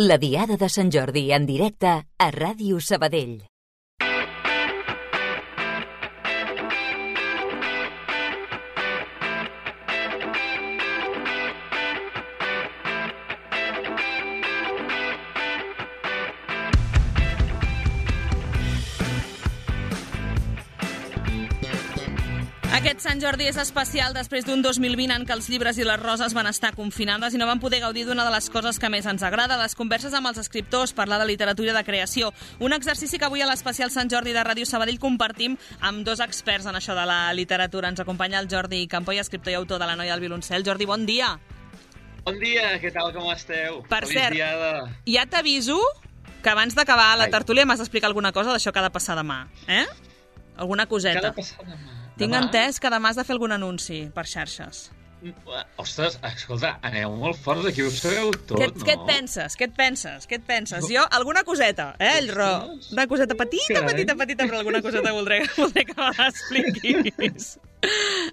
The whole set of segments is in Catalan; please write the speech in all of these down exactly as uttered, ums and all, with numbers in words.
La Diada de Sant Jordi en directe a Ràdio Sabadell. Aquest Sant Jordi és especial després d'un dos mil vint en què els llibres i les roses van estar confinades i no van poder gaudir d'una de les coses que més ens agrada, les converses amb els escriptors, parlar de literatura i de creació. Un exercici que avui a l'especial Sant Jordi de Ràdio Sabadell compartim amb dos experts en això de la literatura. Ens acompanya el Jordi Campoy, escriptor i autor de La noia al violoncel. Jordi, bon dia. Bon dia, què tal, com esteu? Per Feliç cert, diada. ja t'aviso que abans d'acabar la tertúlia m'has d'explicar alguna cosa d'això que ha de passar demà, eh? Alguna coseta. Què ha de passar demà? Tinc demà? entès que demà has de fer algun anunci per xarxes. Ostres, escolta, aneu molt forts aquí, ho sabeu tot, Què, no? què et penses? Què et penses? Què et penses? Jo, alguna coseta, eh, el Ro? Una coseta petita, Carai. petita, petita, però alguna coseta voldré, voldré que me l'expliquis.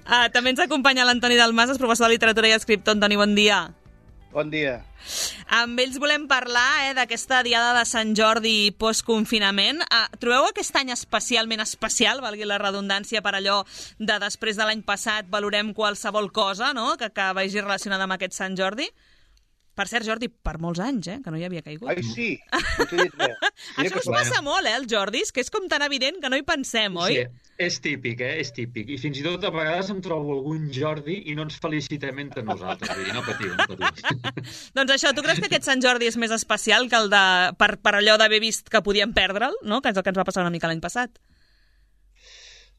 Uh, també ens acompanya l'Antoni Dalmases, professor de literatura i escriptor. Antoni, bon dia. Bon dia. Amb ells volem parlar eh, d'aquesta diada de Sant Jordi post-confinament. Uh, trobeu aquest any especialment especial, valgui la redundància, per allò de després de l'any passat valorem qualsevol cosa, no?, que, que vagi relacionada amb aquest Sant Jordi? Per cert, Jordi, per molts anys, eh, que no hi havia caigut. Ai, sí, no t'he dit res. Mira Això que us passa molt, eh, els Jordis, que és com tan evident que no hi pensem, oi? Sí, és típic, eh? És típic. I fins i tot a vegades em trobo algun Jordi i no ens felicitem entre nosaltres. Vull dir, no patiu, no patiu. Doncs això, tu creus que aquest Sant Jordi és més especial que el de... per, per allò d'haver vist que podíem perdre'l, no?, que és el que ens va passar una mica l'any passat?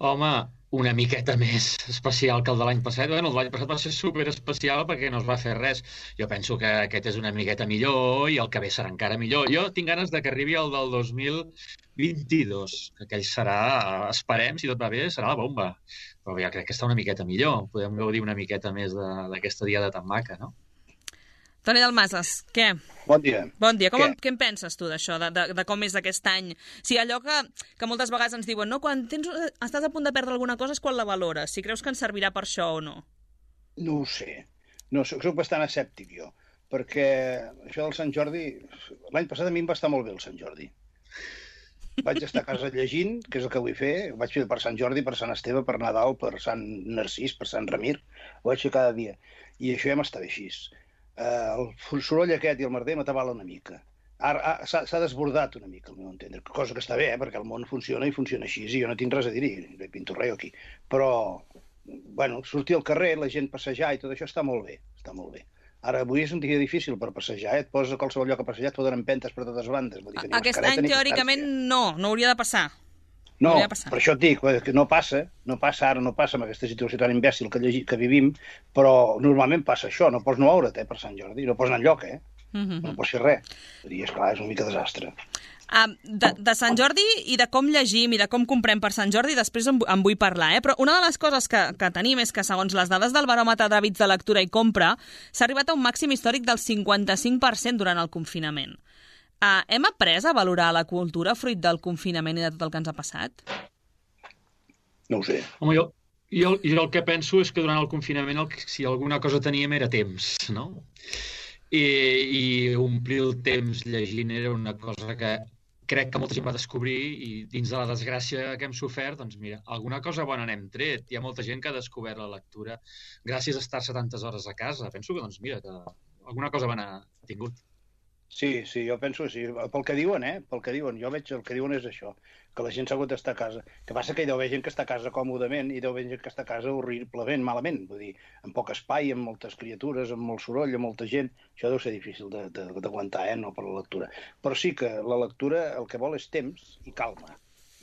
Home, una miqueta més especial que el de l'any passat. Bueno, el de l'any passat va ser superespecial perquè no es va fer res. Jo penso que aquest és una miqueta millor i el que ve serà encara millor. Jo tinc ganes de que arribi el del dos mil vint-i-dos, que aquell serà, esperem, si tot va bé, serà la bomba. Però ja crec que està una miqueta millor. Podem gaudir una miqueta més d'aquesta diada tan maca, no? Toni Dalmases, què? Bon dia. Bon dia. Com, Què? què en penses tu d'això, de, de, de com és aquest any? Si allò que, que moltes vegades ens diuen, no, quan tens, estàs a punt de perdre alguna cosa és quan la valores, si creus que ens servirà per això o no. No ho sé. No, soc, soc bastant escèptic, jo. Perquè això del Sant Jordi... L'any passat a mi em va estar molt bé el Sant Jordi. Vaig estar a casa llegint, que és el que vull fer. Ho vaig fer per Sant Jordi, per Sant Esteve, per Nadal, per Sant Narcís, per Sant Ramir. Ho vaig fer cada dia. I això ja m'estava així. Uh, el soroll aquest i el merder m'atabala una mica. Ara s'ha desbordat una mica, al meu entendre, cosa que està bé, eh, perquè el món funciona i funciona així, i jo no tinc res a dir-hi, no pinto res aquí. Però, bueno, sortir al carrer, la gent passejar i tot això està molt bé, està molt bé. Ara, avui és un dia difícil per passejar, eh? Et poses a qualsevol lloc a passejar, et foten empentes per totes bandes. Vull dir que ni Aquest mascareta any, ni teòricament, distància. no, no hauria de passar. No, hauria de passar. per això et dic, que no passa, no passa ara, no passa amb aquesta situació tan imbècil que, llegi, que vivim, però normalment passa això, no pots no veure't, eh, per Sant Jordi, no pots anar enlloc, eh? Mm-hmm. No pots fer res. I, esclar, és una mica desastre. Uh, de, de Sant Jordi i de com llegim i de com comprem per Sant Jordi, després en, en vull parlar, eh? Però una de les coses que, que tenim és que, segons les dades del baròmetre d'hàbits de lectura i compra, s'ha arribat a un màxim històric del cinquanta-cinc per cent durant el confinament. Uh, hem après a valorar la cultura fruit del confinament i de tot el que ens ha passat? No ho sé. Home, jo, jo, jo el que penso és que durant el confinament el, si alguna cosa teníem era temps, no? I, i omplir el temps llegint era una cosa que crec que molta gent va descobrir i dins de la desgràcia que hem sofert, doncs mira, alguna cosa bona n'hem tret. Hi ha molta gent que ha descobert la lectura gràcies a estar-se tantes hores a casa. Penso que, doncs mira, que alguna cosa bona ha tingut. Sí, sí, jo penso que sí. Pel que diuen, eh? Pel que diuen. Jo veig el que diuen és això, que la gent s'ha hagut d'estar a casa. Que passa que hi deu haver gent que està a casa còmodament i deu haver gent que està a casa horriblement, malament. Vull dir, amb poc espai, amb moltes criatures, amb molt soroll, amb molta gent. Això deu ser difícil d'aguantar, eh? No per la lectura. Però sí que la lectura el que vol és temps i calma.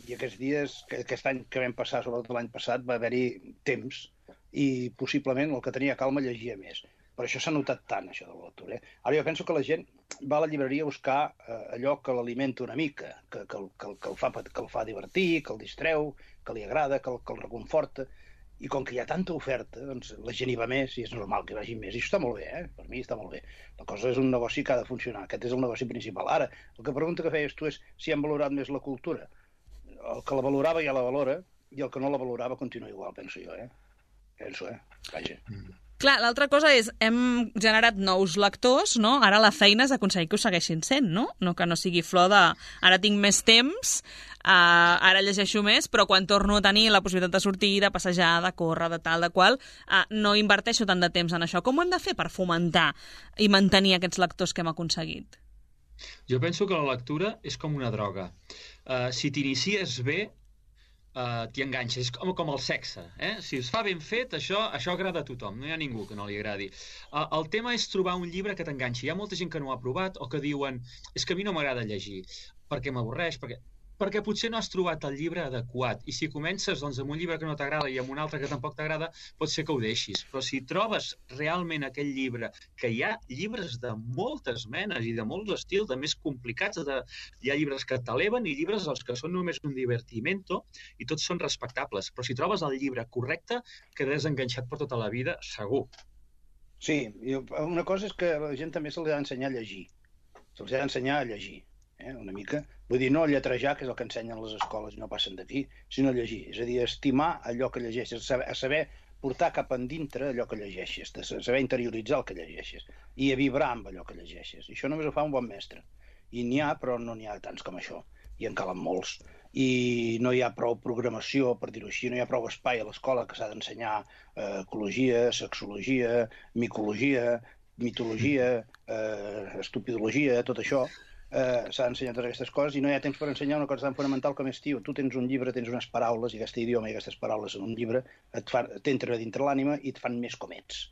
I aquests dies, aquest any que vam passar, sobretot l'any passat, va haver-hi temps i possiblement el que tenia calma llegia més. Per això s'ha notat tant, això de la lectura. Eh? Ara jo penso que la gent va a la llibreria a buscar eh, allò que l'alimenta una mica, que, que, que, que, el fa, que el fa divertir, que el distreu, que li agrada, que el, que el reconforta. I com que hi ha tanta oferta, doncs la gent hi va més i és normal que hi vagi més. I això està molt bé, eh? Per mi està molt bé. La cosa és un negoci que ha de funcionar. Aquest és el negoci principal. Ara, el que pregunta que feies tu és si han valorat més la cultura. El que la valorava ja la valora i el que no la valorava continua igual, penso jo, eh? Penso, eh? Vaja. Mm. Clar, l'altra cosa és, hem generat nous lectors, no? Ara la feina és aconseguir que ho segueixin sent, no? No que no sigui flor de ara tinc més temps, uh, ara llegeixo més, però quan torno a tenir la possibilitat de sortir, de passejar, de córrer, de tal, de qual, uh, no inverteixo tant de temps en això. Com ho hem de fer per fomentar i mantenir aquests lectors que hem aconseguit? Jo penso que la lectura és com una droga. Uh, si t'inicies bé, uh, t'hi enganxes. És com, com el sexe. Eh? Si es fa ben fet, això, això agrada a tothom. No hi ha ningú que no li agradi. Uh, el tema és trobar un llibre que t'enganxi. Hi ha molta gent que no ho ha provat o que diuen és que a mi no m'agrada llegir, perquè m'avorreix, perquè... perquè potser no has trobat el llibre adequat. I si comences doncs, amb un llibre que no t'agrada i amb un altre que tampoc t'agrada, pot ser que ho deixis. Però si trobes realment aquell llibre, que hi ha llibres de moltes menes i de molts estils, de més complicats, de... hi ha llibres que t'eleven i llibres els que són només un divertimento i tots són respectables. Però si trobes el llibre correcte, quedaràs enganxat per tota la vida, segur. Sí, una cosa és que a la gent també se li ha d'ensenyar a llegir. Se'ls ha d'ensenyar a llegir. Eh, una mica, vull dir, no lletrejar, que és el que ensenyen les escoles i no passen d'aquí, sinó llegir, és a dir, estimar allò que llegeixes, a saber, a saber portar cap endintre allò que llegeixes, a saber interioritzar el que llegeixes i a vibrar amb allò que llegeixes. I això només ho fa un bon mestre. I n'hi ha, però no n'hi ha tants com això. I en calen molts. I no hi ha prou programació, per dir-ho així, no hi ha prou espai a l'escola que s'ha d'ensenyar eh, ecologia, sexologia, micologia, mitologia, eh, estupidologia, tot això. Uh, s'ha d'ensenyar totes aquestes coses i no hi ha temps per ensenyar una cosa tan fonamental com és, tio, tu tens un llibre, tens unes paraules i aquest idioma i aquestes paraules en un llibre t'entren dintre l'ànima i et fan més com ets.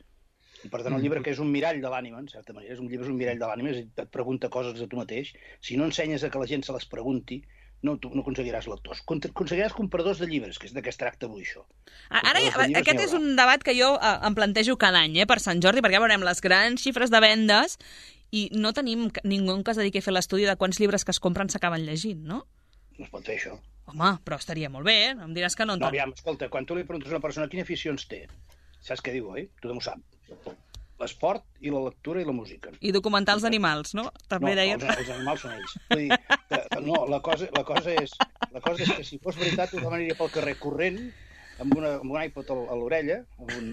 I per tant el llibre, que és un mirall de l'ànima, en certa manera, és un llibre és un mirall de l'ànima, et pregunta coses de tu mateix. Si no ensenyes a que la gent se les pregunti, no, tu no aconseguiràs lectors. Aconseguiràs compradors de llibres, que és de què es tracta avui això. Ara, aquest és un debat que jo eh, em plantejo cada any, eh, per Sant Jordi, perquè ja veurem les grans xifres de vendes i no tenim ningú que es dediqui a fer l'estudi de quants llibres que es compren s'acaben llegint, no? No es pot fer això. Home, però estaria molt bé, eh? Em diràs que no en No, aviam, escolta, quan tu li preguntes a una persona quines aficions té, saps què diu, oi? Tothom ho sap. L'esport i la lectura i la música. I documentals d'animals, no? També no, deien... els, els animals són ells. Vull dir, que, no, la cosa, la, cosa és, la cosa és que si fos veritat tothom aniria pel carrer corrent amb, una, amb un iPod a l'orella, amb un,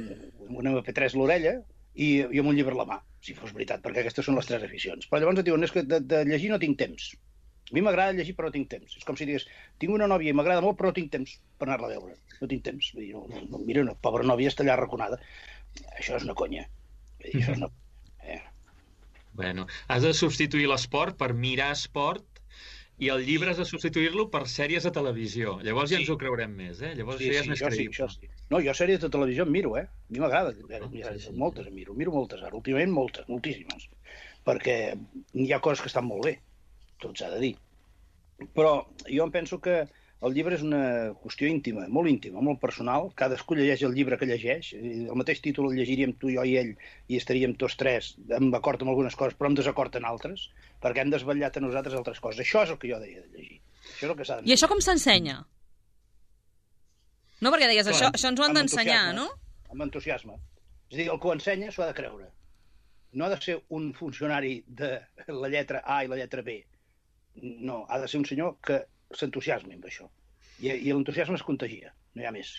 amb un ema pe tres a l'orella i, i amb un llibre a la mà, si fos veritat, perquè aquestes són les tres aficions. Però llavors et diuen, és que de, de llegir no tinc temps. A mi m'agrada llegir però no tinc temps. És com si digués, tinc una nòvia i m'agrada molt però no tinc temps per anar-la a veure. No tinc temps. Vull dir, no, no, mira, una pobra nòvia està allà arraconada. Això és una conya. Vull dir, això és una... Eh. Bueno, has de substituir l'esport per mirar esport i el llibre has de substituir-lo per sèries de televisió. Llavors ja Sí. ens ho creurem més, eh? Llavors Sí, ja és sí, més això sí, creïble. això sí. No, jo sèries de televisió em miro, eh? A mi m'agrada. sí, sí. Moltes em miro. Miro moltes ara. Últimament moltes, moltíssimes. Perquè hi ha coses que estan molt bé. Tot s'ha de dir. Però jo em penso que el llibre és una qüestió íntima, molt íntima, molt personal. Cadascú llegeix el llibre que llegeix. El mateix títol el llegiríem tu, jo i ell, i estaríem tots tres en acord amb algunes coses, però en desacord en altres, perquè hem desvetllat a nosaltres altres coses. Això és el que jo deia de llegir. Això és el que s'ha I això com s'ensenya? No, perquè deies, Clar, això, això ens ho han amb d'ensenyar, entusiasme. no? Amb entusiasme. És a dir, el que ho ensenya s'ho ha de creure. No ha de ser un funcionari de la lletra A i la lletra B. No, ha de ser un senyor que s'entusiasmi amb això. I, i l'entusiasme es contagia, no hi ha més.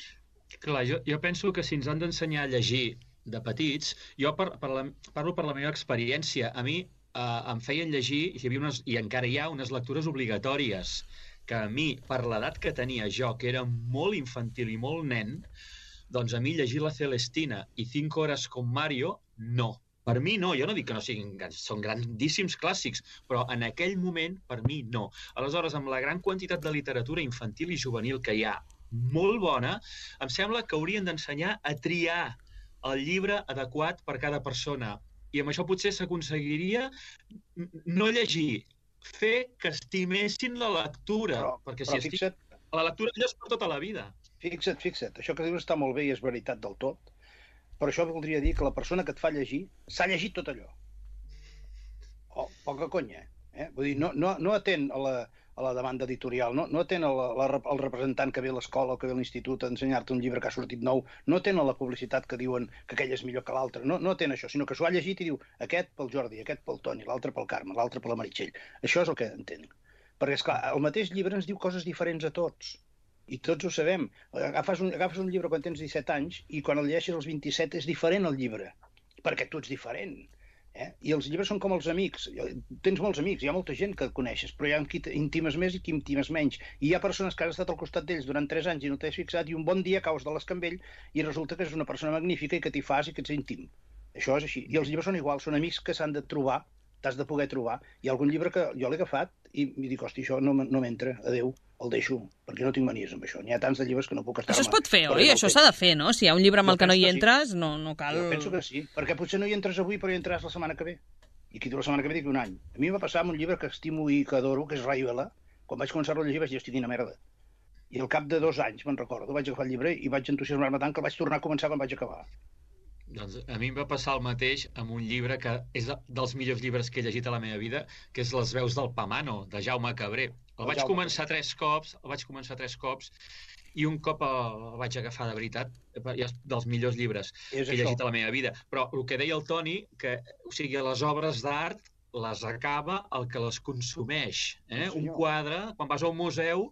Clar, jo, jo penso que si ens han d'ensenyar a llegir de petits, jo per, per la, parlo per la meva experiència. A mi eh, em feien llegir, hi havia unes, i encara hi ha, unes lectures obligatòries, que a mi, per l'edat que tenia jo, que era molt infantil i molt nen, doncs a mi llegir la Celestina i Cinco Horas con Mario, no. Per mi no, jo no dic que no siguin, són grandíssims clàssics, però en aquell moment, per mi, no. Aleshores, amb la gran quantitat de literatura infantil i juvenil que hi ha, molt bona, em sembla que haurien d'ensenyar a triar el llibre adequat per cada persona. I amb això potser s'aconseguiria no llegir, fer que estimessin la lectura. Però, perquè però si fixa't, estim... la lectura allò és per tota la vida. fixa't, fixa't, això que dius està molt bé i és veritat del tot, però això voldria dir que la persona que et fa llegir s'ha llegit tot allò. Oh, poca conya, eh? Vull dir, no, no, no atén a la, a la demanda editorial, no, no atén a la, la, al representant que ve a l'escola o que ve a l'institut a ensenyar-te un llibre que ha sortit nou, no atén a la publicitat que diuen que aquell és millor que l'altre, no, no atén això, sinó que s'ho ha llegit i diu aquest pel Jordi, aquest pel Toni, l'altre pel Carme, l'altre per la Meritxell. Això és el que entenc. Perquè, esclar, el mateix llibre ens diu coses diferents a tots. I tots ho sabem. Agafes un, agafes un llibre quan tens disset anys i quan el llegeixes als vint-i-set és diferent el llibre, perquè tu ets diferent. Eh? I els llibres són com els amics. Tens molts amics, hi ha molta gent que et coneixes, però hi ha qui intimes més i qui intimes menys. I hi ha persones que has estat al costat d'ells durant tres anys i no t'has fixat, i un bon dia caus de l'escambell i resulta que és una persona magnífica i que t'hi fas i que ets íntim. Això és així. I els llibres són iguals, són amics que s'han de trobar, t'has de poder trobar. Hi ha algun llibre que jo l'he agafat i em dic, hosti, això no, no m'entra, adeu, el deixo, perquè no tinc manies amb això. N'hi ha tants de llibres que no puc estar... Això es pot fer, oi? Això s'ha de fer, no? Si hi ha un llibre amb el que no hi entres, no, no cal... Jo penso que sí, perquè potser no hi entres avui, però hi entraràs la setmana que ve. I qui diu la setmana que ve dic un any. A mi em va passar amb un llibre que estimo i que adoro, que és Ray Vela. Quan vaig començar-lo a llegir vaig dir, hosti, quina merda. I al cap de dos anys, me'n recordo, vaig agafar el llibre i vaig entusiasmar-me tant que el vaig tornar a començar quan vaig acabar. Doncs a mi em va passar el mateix amb un llibre que és dels millors llibres que he llegit a la meva vida, que és Les veus del Pamano, de Jaume Cabré. El vaig començar tres cops, el vaig començar tres cops, i un cop el vaig agafar de veritat, és dels millors llibres que he llegit a la meva vida. Però el que deia el Toni, que o sigui, les obres d'art les acaba el que les consumeix. Eh? Un quadre, quan vas a un museu,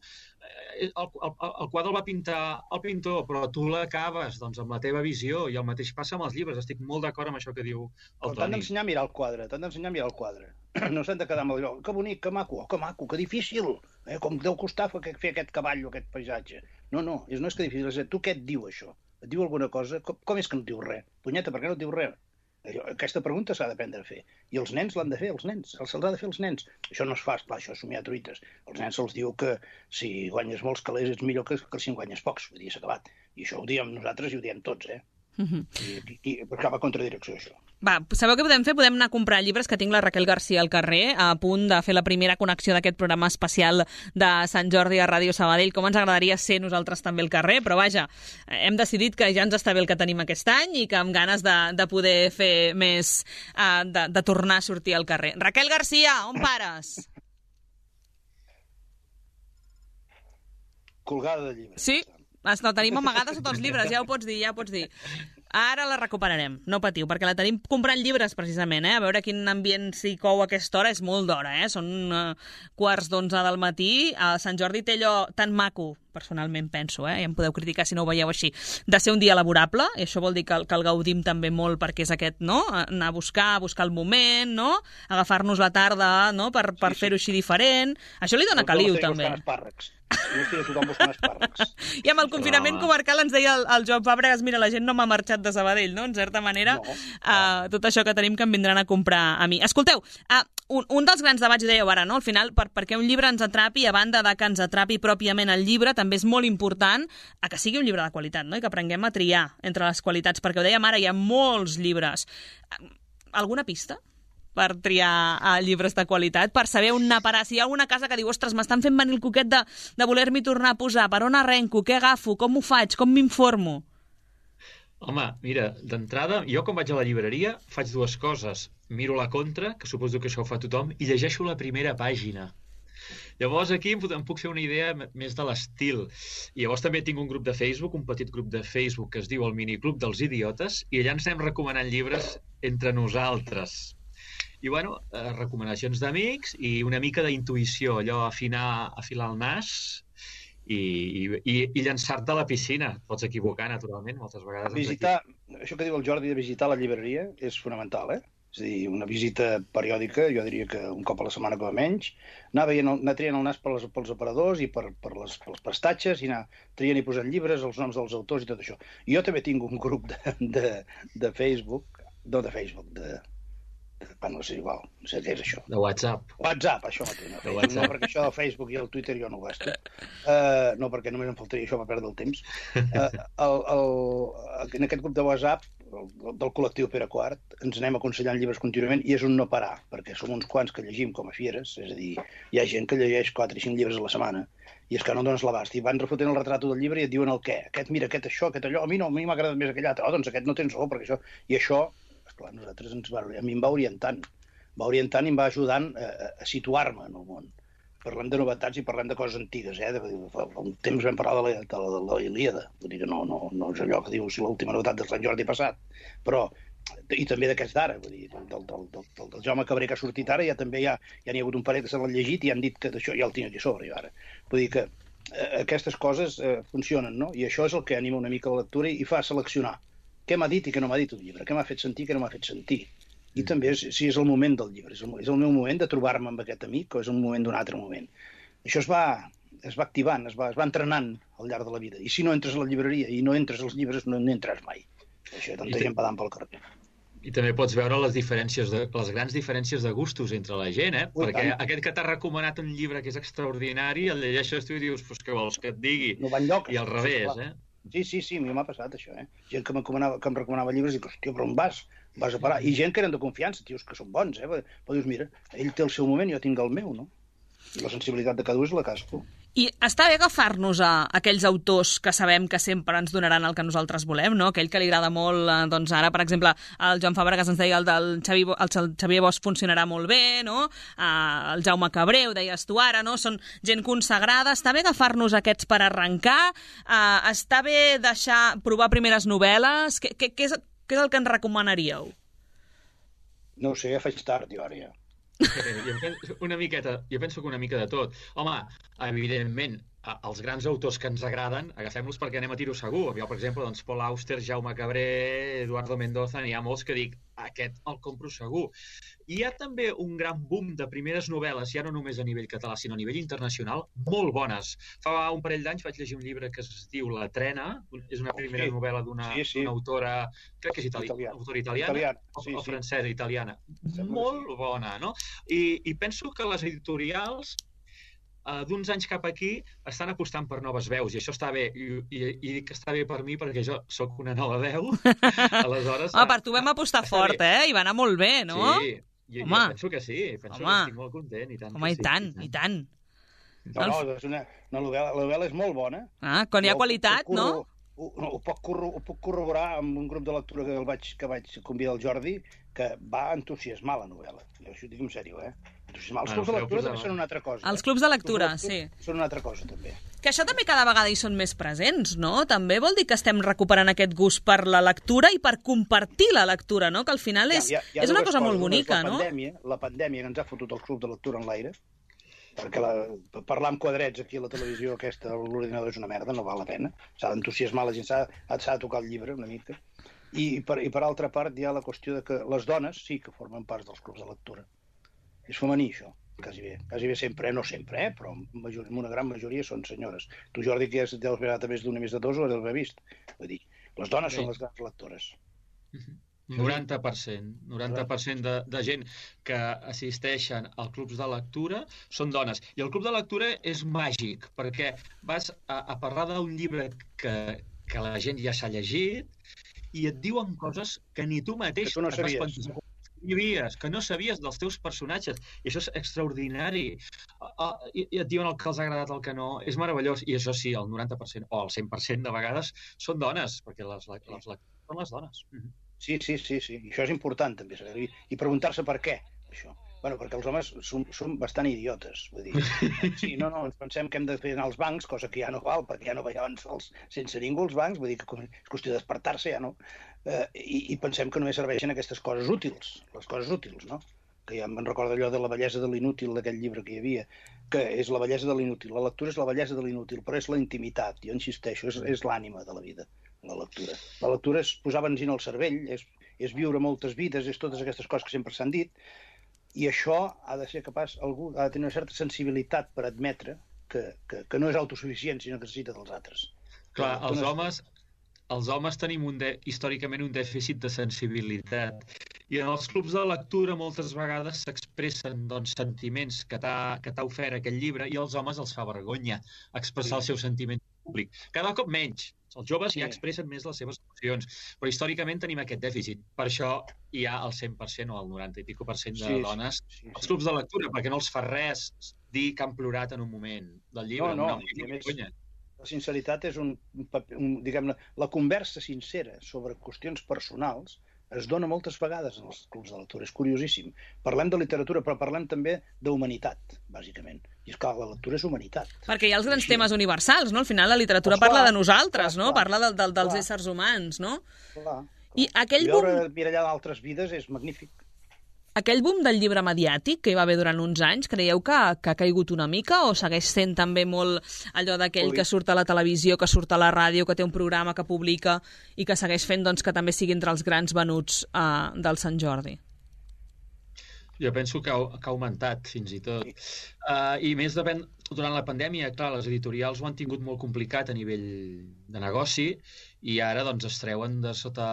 el, el, el quadre el va pintar el pintor, però tu l'acabes doncs, amb la teva visió, i el mateix passa amb els llibres. Estic molt d'acord amb això que diu el Toni. T'han d'ensenyar a mirar el quadre, t'han d'ensenyar a mirar el quadre. No s'han de quedar amb allò, que bonic, que maco, que maco, que difícil, eh? Com deu costar fer aquest cavall o aquest paisatge. No, no, és, no és que difícil, és tu què et diu això? Et diu alguna cosa? Com, com és que no et diu res? Punyeta, per què no et diu res? Aquesta pregunta s'ha d'aprendre a fer. I els nens l'han de fer, els nens. Se'ls ha de fer els nens. Això no es fa, esclar, això és somiar truites. Els nens se'ls diu que si guanyes molts calés ets millor que, que si en guanyes pocs. Vull dir, s'ha acabat. I això ho diem nosaltres i ho diem tots, eh? Uh-huh. I, i, i perquè va contra direcció, això. Va, sabeu què podem fer? Podem anar a comprar llibres, que tinc la Raquel García al carrer, a punt de fer la primera connexió d'aquest programa especial de Sant Jordi a Ràdio Sabadell. Com ens agradaria ser nosaltres també al carrer, però vaja, hem decidit que ja ens està bé el que tenim aquest any i que amb ganes de, de poder fer més, uh, de, de tornar a sortir al carrer. Raquel García, on pares? Colgada de llibres. Sí? La tenim amagada sota els llibres, ja ho pots dir, ja ho pots dir. Ara la recuperarem, no patiu, perquè la tenim comprant llibres, precisament, eh? A veure quin ambient s'hi cou a aquesta hora, és molt d'hora, eh? Són uh, quarts d'onze del matí. A Sant Jordi té allò tan maco, personalment penso, eh? Ja em podeu criticar si no ho veieu així, de ser un dia laborable, i això vol dir que, que el gaudim també molt perquè és aquest, no? Anar a buscar, a buscar el moment, no? Agafar-nos la tarda, no? Per, per sí, sí. fer-ho així diferent. Això li dona caliu, també. Jo estic a tothom buscant espàrrecs. I amb el confinament comarcal ens deia el, el Joan Fàbregas, mira, la gent no m'ha marxat de Sabadell, no? En certa manera, no, uh, tot això que tenim que em vindran a comprar a mi. Escolteu, uh, un, un dels grans debats, dèieu ara, no? Al final, per, perquè un llibre ens atrapi, a banda de que ens atrapi pròpiament el llibre, també és molt important a que sigui un llibre de qualitat, no? I que aprenguem a triar entre les qualitats, perquè ho dèiem ara, hi ha molts llibres. Alguna pista per triar uh, llibres de qualitat, per saber on anar a parar? Si hi ha alguna casa que diu, ostres, m'estan fent venir el coquet de, de voler-m'hi tornar a posar, per on arrenco, què agafo, com ho faig, com m'informo? Home, mira, d'entrada, jo quan vaig a la llibreria faig dues coses. Miro la contra, que suposo que això ho fa tothom, i llegeixo la primera pàgina. Llavors aquí em puc fer una idea més de l'estil. I llavors també tinc un grup de Facebook, un petit grup de Facebook que es diu el Miniclub dels Idiotes, i allà ens anem recomanant llibres entre nosaltres. I, bueno, eh, recomanacions d'amics i una mica d'intuïció, allò, afinar, afilar el nas i, i, i llançar-te a la piscina. Pots equivocar, naturalment, moltes vegades. Visitar, això que diu el Jordi de visitar la llibreria és fonamental, eh? És a dir, una visita periòdica, jo diria que un cop a la setmana com a menys, anar, veient, anar triant el nas per les, pels aparadors i per, per les, pels prestatges, i anar triant i posant llibres, els noms dels autors i tot això. Jo també tinc un grup de, de, de Facebook, no de Facebook, de... Bueno, no sé, igual, no sé què és això. De WhatsApp. WhatsApp, això mateix. No, Facebook, no, perquè això del Facebook i el Twitter jo no ho gasto. Uh, no, perquè només em faltaria això per perdre el temps. Uh, el, el, en aquest grup de WhatsApp, el, del col·lectiu Pere Quart, ens anem aconsellant llibres contínuament i és un no parar, perquè som uns quants que llegim com a fieres, és a dir, hi ha gent que llegeix quatre i cinc llibres a la setmana, i és que no dones l'abast, i van refotent el retrato del llibre i et diuen el què. Aquest, mira, aquest això, aquest allò, a mi no, a mi m'ha agradat més aquell altre. Oh, doncs aquest no tens raó, perquè això... I això... Esclar, nosaltres ens va, a mi em va orientant, va orientant i em va ajudant a, a situar-me en el món. Parlem de novetats i parlem de coses antigues, eh? De, fa un temps vam parlar de la, de la, de la Ilíada, vull dir que no, no, no és allò que diu si l'última novetat de Sant Jordi passat, però, i també d'aquest d'ara, vull dir, del, del, del, del, del Jaume Cabré que ha sortit ara, ja també ja, ja n'hi ha hagut un parell que se l'han llegit i han dit que d'això ja el tinc aquí a sobre, jo ara. Vull dir que eh, aquestes coses eh, funcionen, no? I això és el que anima una mica la lectura i fa seleccionar què m'ha dit i què no m'ha dit un llibre, què m'ha fet sentir i què no m'ha fet sentir. I mm. també és, si és el moment del llibre, és el, és el meu moment de trobar-me amb aquest amic o és el moment d'un altre moment. Això es va, es va activant, es va, es va entrenant al llarg de la vida. I si no entres a la llibreria i no entres als llibres, no n'entres mai. Això, tanta gent badant pel carrer. I també pots veure les diferències, de, les grans diferències de gustos entre la gent, eh? Ui, perquè tant. Aquest que t'ha recomanat un llibre que és extraordinari, el llegeixes tu i dius, pues, què vols que et digui? No va enlloc. I al revés, sí, eh? Sí, sí, sí, a mi m'ha passat això, eh? Gent que, que em recomanava llibres i dic, hòstia, però on vas? Vas a parar. I gent que eren de confiança, tios que són bons, eh? Però dius, mira, ell té el seu moment i jo tinc el meu, no? I la sensibilitat de cada un és la cadascú. I està bé agafar-nos a aquells autors que sabem que sempre ens donaran el que nosaltres volem, no? Aquell que li agrada molt, doncs ara, per exemple, el Joan Fàbregas ens deia el del Xavi, el Xavier Bosch funcionarà molt bé, no? El Jaume Cabré, ho deies tu ara, no? Són gent consagrada. Està bé agafar-nos aquests per arrencar? Uh, està bé deixar, provar primeres novel·les? Què, què, què, és, què és el que ens recomanaríeu? No ho sé, ja faig tard, jo ara ja. Jo penso una miqueta, jo penso que una mica de tot. Home, evidentment, els grans autors que ens agraden, agafem-los perquè anem a tiro segur. Jo, per exemple, doncs, Paul Auster, Jaume Cabré, Eduardo Mendoza, n'hi ha molts que dic, aquest el compro segur. I hi ha també un gran boom de primeres novel·les, ja no només a nivell català, sinó a nivell internacional, molt bones. Fa un parell d'anys vaig llegir un llibre que es diu La Trena, és una primera sí. novel·la d'una sí, sí. autora, crec que és itali Italià. autora italiana, Italiana. Sí, o, o francesa, sí. italiana. Molt sí. bona, no? I, I penso que les editorials Uh, d'uns anys cap aquí estan apostant per noves veus, i això està bé, i, i, i dic que està bé per mi perquè jo sóc una nova veu, aleshores... Home, per tu vam apostar fort, bé. eh? I va anar molt bé, no? Sí, jo, jo penso que sí, penso Home. que estic molt content, i tant Home, que i tant, sí. i tant. No, no, és una, una novel·la, la novel·la és molt bona. Ah, quan hi ha qualitat, no? Ho, ho, puc corro, ho puc corroborar amb un grup de lectura que el vaig, que vaig convidar el Jordi, que va entusiasmar la novel·la. Jo això ho dic en sèrio, eh? Els clubs de lectura també són una altra cosa. Els clubs de lectura, sí. Són una altra cosa, també. Que això també cada vegada hi són més presents, no? També vol dir que estem recuperant aquest gust per la lectura i per compartir la lectura, no? Que al final és, ja, ja, és una cosa coses. molt bonica, la no? Pandèmia, la pandèmia que ens ha fotut el club de lectura en l'aire, perquè la, parlar amb quadrets aquí a la televisió aquesta, l'ordinador és una merda, no val la pena. S'ha d'entusiasmar la gent, s'ha de tocar el llibre una mica. I per, I per altra part hi ha la qüestió de que les dones sí que formen part dels clubs de lectura. És femení, això, quasi bé. Quasi bé sempre, eh? No sempre, eh? Però en una gran majoria són senyores. Tu, Jordi, que ja deus veure més d'una més de dos, ho deus haver vist. Vull dir, les dones sí. són les grans lectores. noranta per cent. noranta per cent de, de gent que assisteixen als clubs de lectura són dones. I el club de lectura és màgic, perquè vas a, a parlar d'un llibre que, que la gent ja s'ha llegit i et diuen coses que ni tu mateix... Que tu no sabies. que no sabies dels teus personatges, i això és extraordinari. Uh, i, i et diuen el que els ha agradat, el que no, és meravellós, i això sí, el noranta per cent o el cent per cent de vegades són dones, perquè les, les, les lectores són les dones. Uh-huh. Sí, sí, sí, sí, i això és important també, i, i preguntar-se per què, això. Bueno, perquè els homes són, són bastant idiotes, vull dir. Sí, no, no, ens pensem que hem de fer anar als bancs, cosa que ja no val, perquè ja no veiem sols sense ningú als bancs, vull dir que és qüestió de despertar-se, ja no. Eh, i, I pensem que només serveixen aquestes coses útils, les coses útils, no? Que ja me'n recordo allò de la bellesa de l'inútil, d'aquell llibre que hi havia, que és la bellesa de l'inútil. La lectura és la bellesa de l'inútil, però és la intimitat, jo insisteixo, és, és l'ànima de la vida, la lectura. La lectura és posar benzina al cervell, és, és viure moltes vides, és totes aquestes coses que sempre s'han dit, i això ha de ser capaç, algú ha de tenir una certa sensibilitat per admetre que, que, que no és autosuficient, sinó que necessita dels altres. Clar, els homes, els homes tenim un de, històricament un dèficit de sensibilitat. I en els clubs de lectura moltes vegades s'expressen doncs, sentiments que t'ha ofert aquest llibre i als homes els fa vergonya expressar sí. el seu sentiment públic. Cada cop menys. Els joves sí. ja expressen més les seves emocions, però històricament tenim aquest dèficit. Per això hi ha el cent per cent o el noranta i pico per cent de sí, dones sí, sí, als sí. clubs de lectura, perquè no els fa res dir que han plorat en un moment del llibre. No, no, no més, la sinceritat és un, un diguem-ne, la conversa sincera sobre qüestions personals es dona moltes vegades en els clubs de lectura, és curiosíssim. Parlem de literatura, però parlem també d'humanitat, bàsicament. I és clar, la lectura és humanitat. Perquè hi ha els grans Així. temes universals, no? Al final la literatura pues parla clar, de nosaltres, clar, no? Clar, parla de, de, dels clar. éssers humans, no? Clar, clar. I aquell I veure boom... mirallar d'altres vides és magnífic. aquell boom del llibre mediàtic que hi va haver durant uns anys, creieu que, que ha caigut una mica o segueix sent també molt allò d'aquell que surt a la televisió, que surt a la ràdio, que té un programa que publica i que segueix fent doncs, que també sigui entre els grans venuts uh, del Sant Jordi? Jo penso que ha, que ha augmentat, fins i tot. Uh, I més depèn, durant la pandèmia, clar, les editorials ho han tingut molt complicat a nivell de negoci i ara doncs, es treuen de sota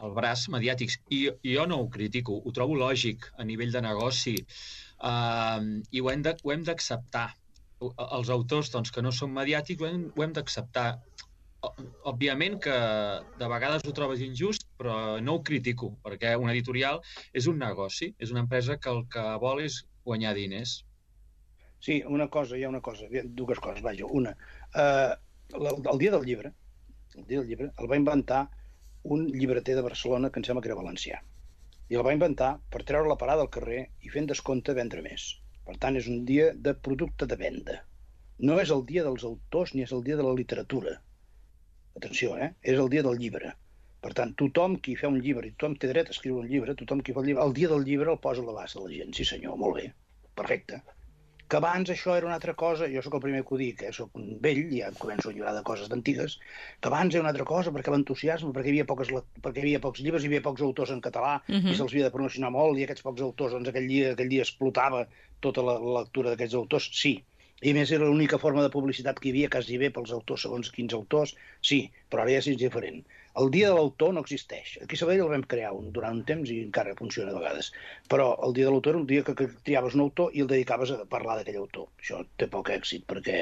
el braç mediàtics. I, i jo no ho critico, ho trobo lògic a nivell de negoci uh, i ho hem de, ho hem d'acceptar. Els autors doncs, que no són mediàtics ho hem, ho hem d'acceptar. Òbviament que de vegades ho trobes injust, però no ho critico, perquè una editorial és un negoci, és una empresa que el que vol és guanyar diners. Sí, una cosa, hi ha una cosa, dues coses, vaja. Una, eh, el, el dia del llibre, el dia del llibre el va inventar un llibreter de Barcelona que em sembla que era valencià. I el va inventar per treure la parada al carrer i fent descompte vendre més. Per tant, és un dia de producte de venda. No és el dia dels autors ni és el dia de la literatura. Atenció, eh? És el dia del llibre. Per tant, tothom qui fa un llibre i tothom té dret a escriure un llibre, tothom qui fa el llibre, el dia del llibre el posa a l'abast de la gent. Sí senyor, molt bé, perfecte. Que abans això era una altra cosa, jo sóc el primer que ho dic, eh? Sóc un vell, ja em començo a lliurar de coses d'antigues, que abans era una altra cosa perquè l'entusiasme, perquè hi havia, poques, perquè hi havia pocs llibres, hi havia pocs autors en català, uh-huh. i se'ls havia de promocionar molt, i aquests pocs autors, doncs aquell dia, aquell dia explotava tota la, la lectura d'aquests autors, sí. I a més era l'única forma de publicitat que hi havia quasi bé pels autors, segons quins autors, sí, però ara ja és diferent. El dia de l'autor no existeix. Aquí a Sabadell el vam crear un, durant un temps i encara funciona a vegades. Però el dia de l'autor era un dia que, que triaves un autor i el dedicaves a parlar d'aquell autor. Això té poc èxit perquè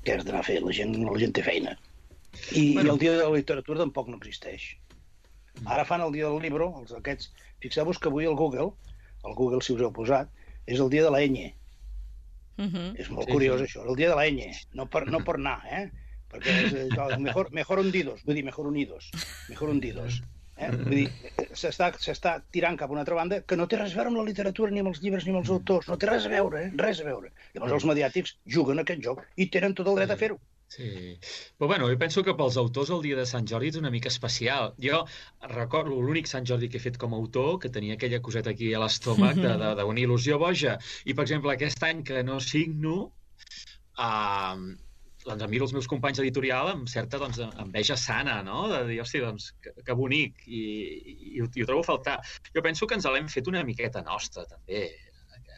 què has d'anar a fer? La gent, la gent té feina. I, bueno. I el dia de la literatura tampoc no existeix. Ara fan el dia del llibre, els aquests... Fixeu-vos que avui el Google, el Google si us heu posat, és el dia de la enya. Uh-huh. És molt sí, curiós, sí. Això. El dia de la enya, no per, no per anar, eh? Perquè és eh, mejor, mejor hundidos, vull dir, mejor unidos, mejor hundidos. Eh? Vull dir, s'està tirant cap a una altra banda que no té res a veure amb la literatura, ni amb els llibres, ni amb els autors, no té res a veure, eh? Res a veure. Llavors els mediàtics juguen a aquest joc i tenen tot el dret a fer-ho. Sí, però bueno, jo penso que pels autors el dia de Sant Jordi és una mica especial. Jo recordo l'únic Sant Jordi que he fet com a autor, que tenia aquella coseta aquí a l'estómac d'una il·lusió boja. I, per exemple, aquest any que no signo, eh, doncs em miro els meus companys d'editorial amb certa doncs, enveja sana, no? De dir, hosti, doncs, que, que bonic, i, i, i, ho, i ho trobo a faltar. Jo penso que ens l'hem fet una miqueta nostra, també,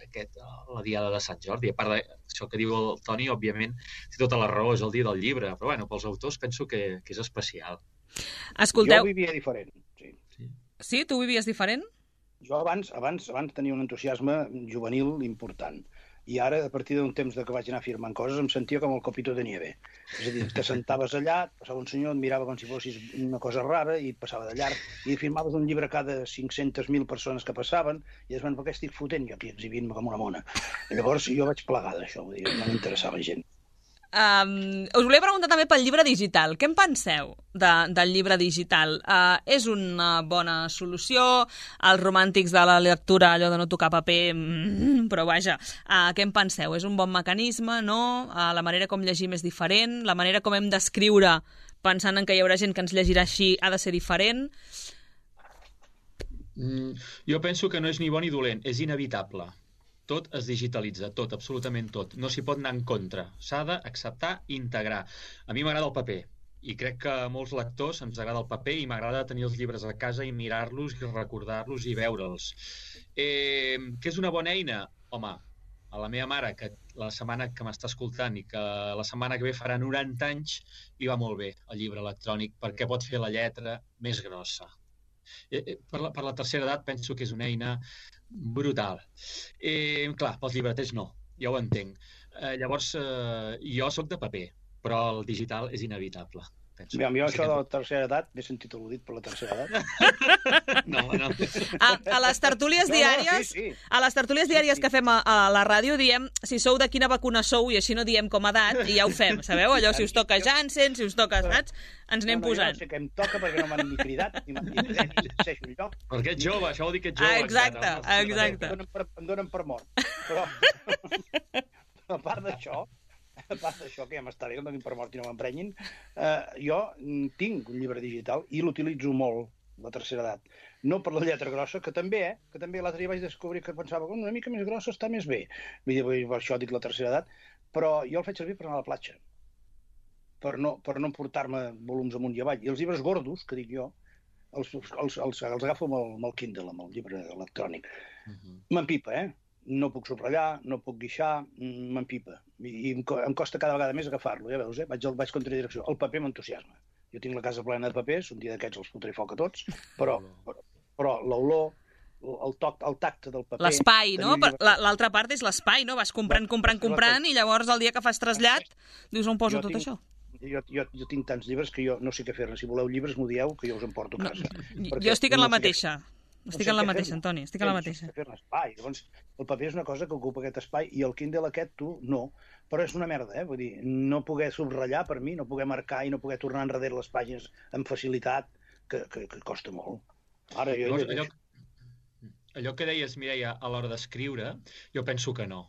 aquest, la diada de Sant Jordi. A part d'això que diu el Toni, òbviament, té tota la raó, és el dia del llibre, però bueno, pels autors penso que, que és especial. Escolteu... Jo vivia diferent, sí. Sí, sí tu vivies diferent? Jo abans, abans, abans tenia un entusiasme juvenil important. I ara, a partir d'un temps que vaig anar firmant coses, em sentia com el copito de nieve. És a dir, te sentaves allà, passava un senyor, et mirava com si fossis una cosa rara i passava de llarg, i firmaves un llibre cada cinc-centes mil persones que passaven, i es van, per què estic fotent jo aquí exhibint-me com una mona? I llavors jo vaig plegar d'això, vull dir, no m'interessava gent. Um, us volia preguntar també pel llibre digital. Què en penseu de, del llibre digital? Uh, és una bona solució? Els romàntics de la lectura, allò de no tocar paper, mm, però vaja, uh, què en penseu? És un bon mecanisme, no? Uh, la manera com llegim és diferent? La manera com hem d'escriure, pensant en que hi haurà gent que ens llegirà així, ha de ser diferent? Mm, jo penso que no és ni bo ni dolent, és inevitable. Tot es digitalitza, tot, absolutament tot. No s'hi pot anar en contra. S'ha d'acceptar i integrar. A mi m'agrada el paper, i crec que a molts lectors ens agrada el paper i m'agrada tenir els llibres a casa i mirar-los i recordar-los i veure'ls. Eh, què és una bona eina? Home, a la meva mare, que la setmana que m'està escoltant i que la setmana que ve farà noranta anys, li va molt bé el llibre electrònic perquè pot fer la lletra més grossa. Eh, per, la, per la tercera edat penso que és una eina brutal. Eh, clar, pels llibreters no, ja ho entenc. Eh, llavors, eh, jo sóc de paper, però el digital és inevitable. Penso. Aviam, jo això de la tercera edat, m'he sentit al·ludit per la tercera edat. No, no. A, a les tertúlies diàries, no, no, sí, sí. A les tertúlies diàries sí, sí. que fem a, a la ràdio diem si sou de quina vacuna sou i així no diem com a edat i ja ho fem, sabeu? Allò, si us toca Janssen, si us toca, saps? Ens anem no, no, posant. Jo no sé què em toca perquè no m'han ni cridat, ni m'han dit res, ni llegeixo un lloc. Perquè ets jove, això vol dir que ets jove. Ah, exacte, encara, no? Exacte. Em donen per, em donen per mort. Però, a part d'això, a part d'això, que ja m'està bé, que em donin per mort i no m'emprenyin, eh, jo tinc un llibre digital i l'utilitzo molt, La tercera edat. No per la lletra grossa, que també, eh? Que també l'altre dia vaig descobrir que pensava que una mica més grossa està més bé. Vull dir, per això dic la tercera edat, però jo el faig servir per anar a la platja, per no, per no portar-me volums amunt i avall. I els llibres gordos, que dic jo, els, els, els, els agafo amb el, amb el Kindle, amb el llibre electrònic. Uh-huh. M'empipa, eh? No puc subratllar, no puc guixar, m'empipa. I, i em costa cada vegada més agafar-lo, ja veus, eh? Vaig, vaig contra direcció. El paper m'entusiasma. Jo tinc la casa plena de papers, un dia d'aquests els fotré foc a tots, però, però, però l'olor, el toc, el tacte del paper... L'espai, no? L'altra part és l'espai, no? Vas comprant, comprant, comprant, i llavors el dia que fas trasllat dius on poso tot això? Jo, jo, jo tinc tants llibres que jo no sé què fer-ne. Si voleu llibres, m'ho dieu, que jo us en porto a casa. No, jo estic en la mateixa. Estic en la mateixa, Antoni, estic en la mateixa. Espai. Llavors, el paper és una cosa que ocupa aquest espai i el Kindle aquest, tu, no. Però és una merda, eh? Vull dir, no poder subratllar per mi, no poder marcar i no poder tornar enrere les pàgines amb facilitat, que, que, que costa molt. Ara, jo... Llavors, allò, allò que deies, Mireia, a l'hora d'escriure, jo penso que no.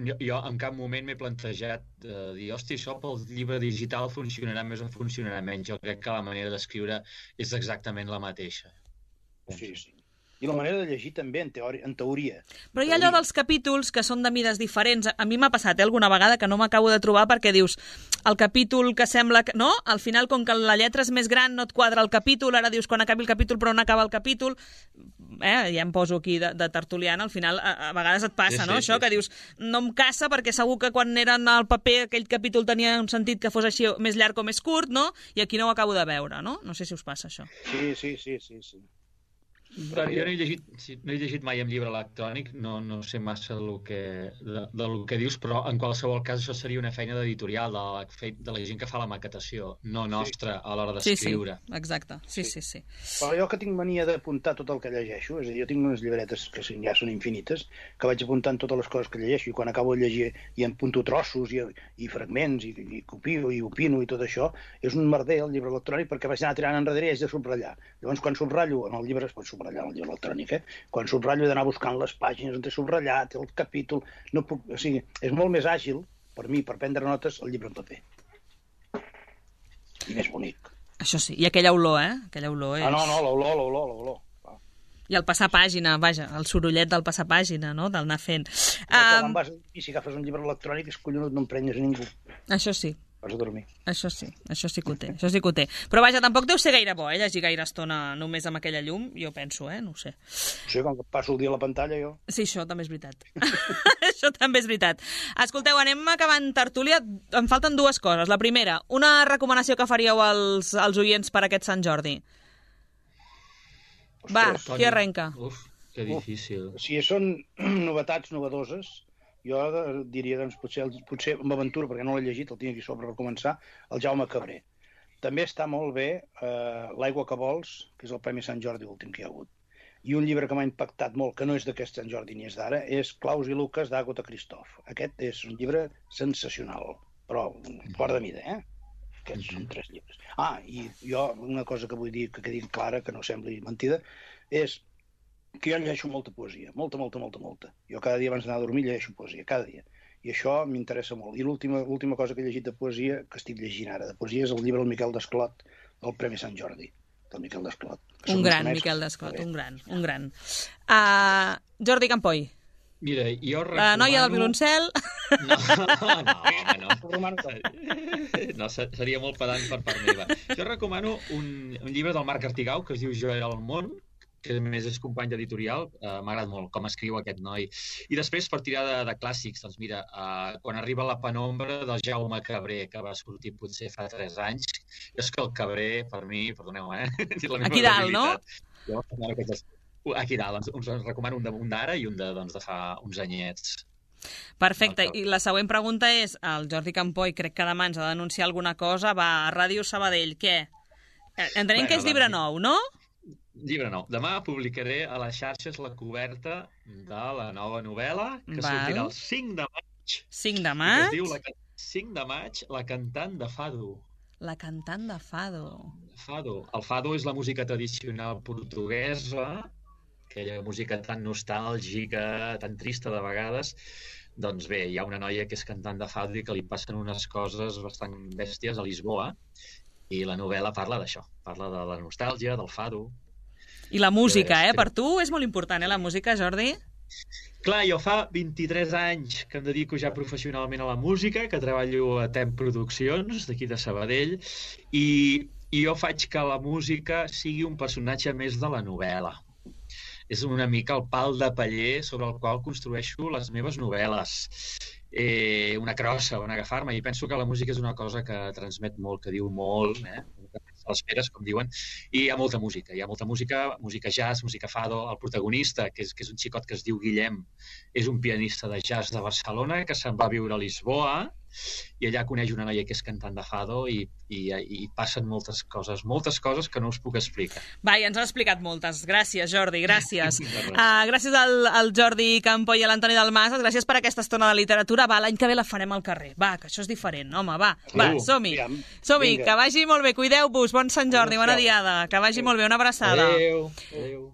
Jo, jo en cap moment m'he plantejat eh, dir, hosti, això pel llibre digital funcionarà més o funcionarà menys. Jo crec que la manera d'escriure és exactament la mateixa. Sí, sí. I la manera de llegir també, en teoria. En teoria. Però hi ha allò dels capítols que són de mides diferents. A mi m'ha passat eh, alguna vegada que no m'acabo de trobar perquè dius, el capítol que sembla que... No? Al final, com que la lletra és més gran, no et quadra el capítol, ara dius quan acabi el capítol però no acaba el capítol. Eh, ja em poso aquí de, de tertuliana, al final a, a vegades et passa, sí, no? Sí, això sí, que sí. Dius, no em casa perquè segur que quan eren al paper aquell capítol tenia un sentit que fos així més llarg o més curt, no? I aquí no ho acabo de veure, no? No sé si us passa això. Sí, sí, sí, sí, sí. Però jo no he llegit, no he llegit mai en llibre electrònic, no, no sé massa del que, de, del que dius, però en qualsevol cas això seria una feina d'editorial, de, la, de la gent que fa la maquetació, no nostra a l'hora d'escriure. Sí, sí, exacte. Sí, sí, sí. Però jo que tinc mania d'apuntar tot el que llegeixo, és a dir, jo tinc unes llibretes que ja són infinites, que vaig apuntant totes les coses que llegeixo, i quan acabo de llegir i em punto trossos i, i fragments, i, i copio i opino i tot això, és un merder el llibre electrònic perquè vaig anar tirant enrere i haig de subratllar. Llavors, quan subratllo en el llibre, es pot subratllar en el llibre electrònic, eh? Quan subratllo he d'anar buscant les pàgines on he subratllat, el capítol... No puc... O sigui, és molt més àgil, per mi, per prendre notes, el llibre en paper. I més bonic. Això sí, i aquella olor, eh? Aquella olor és... Ah, no, no, l'olor, l'olor, l'olor. I el passar pàgina, vaja, el sorollet del passar pàgina, no?, del anar fent. Quan um... vas i si agafes un llibre electrònic és collonut, no emprenyes a ningú. Això sí. Vas a dormir. Això sí, això sí que ho té, això sí que ho té. Però vaja, tampoc deu ser gaire bo, eh, llegir gaire estona només amb aquella llum, jo penso, eh, no ho sé. Sí, com que passo el dia a la pantalla, jo. Sí, això també és veritat. Això també és veritat. Escolteu, anem acabant tertúlia. Em falten dues coses. La primera, una recomanació que faríeu als, als oients per aquest Sant Jordi. Ostres, Va, qui arrenca? Uf, que difícil. Uf, si són novetats novedoses, jo diria, doncs, potser, potser amb aventura, perquè no l'he llegit, el tinc aquí sobre per començar, el Jaume Cabré. També està molt bé eh, L'aigua que vols, que és el Premi Sant Jordi últim que hi ha hagut. I un llibre que m'ha impactat molt, que no és d'aquest Sant Jordi ni és d'ara, és Claus i Lucas d'Àgota Christoph. Aquest és un llibre sensacional, però fora de mida, eh? Aquests mm-hmm. són tres llibres. Ah, i jo una cosa que vull dir, que quedi clara, que no sembli mentida, és que jo llegeixo molta poesia, molta, molta, molta, molta. Jo cada dia abans d'anar a dormir llegeixo poesia, cada dia. I això m'interessa molt. I l'última l'última cosa que he llegit de poesia, que estic llegint ara de poesia, és el llibre del Miquel Desclot, del Premi Sant Jordi, del Miquel Desclot. Un gran, Miquel Desclot, un gran, un gran. Uh, Jordi Campoy. Mira, jo recomano... La noia del violoncel. No, no, home, no. No, seria molt pedant per part meva. Jo recomano un, un llibre del Marc Artigau que es diu Jo era al món, que a més és company d'editorial, uh, m'agrada molt com escriu aquest noi. I després, per tirar de, de clàssics, doncs mira, uh, quan arriba la penombra del Jaume Cabré, que va sortir potser fa tres anys, és que el Cabré, per mi, perdoneu, eh? Aquí dalt, no? Jo, aquí dalt, doncs, us recomano un d'ara i un de, doncs, de fa uns anyets. Perfecte, i la següent pregunta és, el Jordi Campoy crec que demà ens ha d'anunciar alguna cosa, va, a Ràdio Sabadell, què? Entenem bueno, que és llibre doncs... nou, no? Llibre nou. Demà publicaré a les xarxes la coberta de la nova novel·la que Val. sortirà el cinc de maig. cinc de maig? Es diu la, cinc de maig, La cantant de Fado. La cantant de Fado. Fado. El Fado és la música tradicional portuguesa, aquella música tan nostàlgica, tan trista de vegades. Doncs bé, hi ha una noia que és cantant de Fado i que li passen unes coses bastant bèsties a Lisboa i la novel·la parla d'això. Parla de la nostàlgia, del Fado. I la música, eh? Per tu és molt important, eh, la música, Jordi? Clar, jo fa vint-i-tres anys que em dedico ja professionalment a la música, que treballo a Temp Produccions, d'aquí de Sabadell, i, i jo faig que la música sigui un personatge més de la novel·la. És una mica el pal de paller sobre el qual construeixo les meves novel·les. Eh, una crossa on agafar-me, i penso que la música és una cosa que transmet molt, que diu molt, eh? A les feres, com diuen, i hi ha molta música, hi ha molta música, música jazz, música fado. El protagonista, que és, que és un xicot que es diu Guillem, és un pianista de jazz de Barcelona que se'n va a viure a Lisboa i allà coneix una noia que és cantant de fado i, i, i passen moltes coses, moltes coses que no us puc explicar. Va, ja ens has explicat moltes. Gràcies, Jordi, gràcies. uh, gràcies al, al Jordi Campo i a l'Antoni Dalmases, gràcies per aquesta estona de literatura. Va, l'any que ve la farem al carrer. Va, que això és diferent, home, va. Va, som-hi. Som-hi, que vagi molt bé. Cuideu-vos. Bon Sant Jordi, bona diada. Que vagi molt bé. Una abraçada. Adéu. Adéu.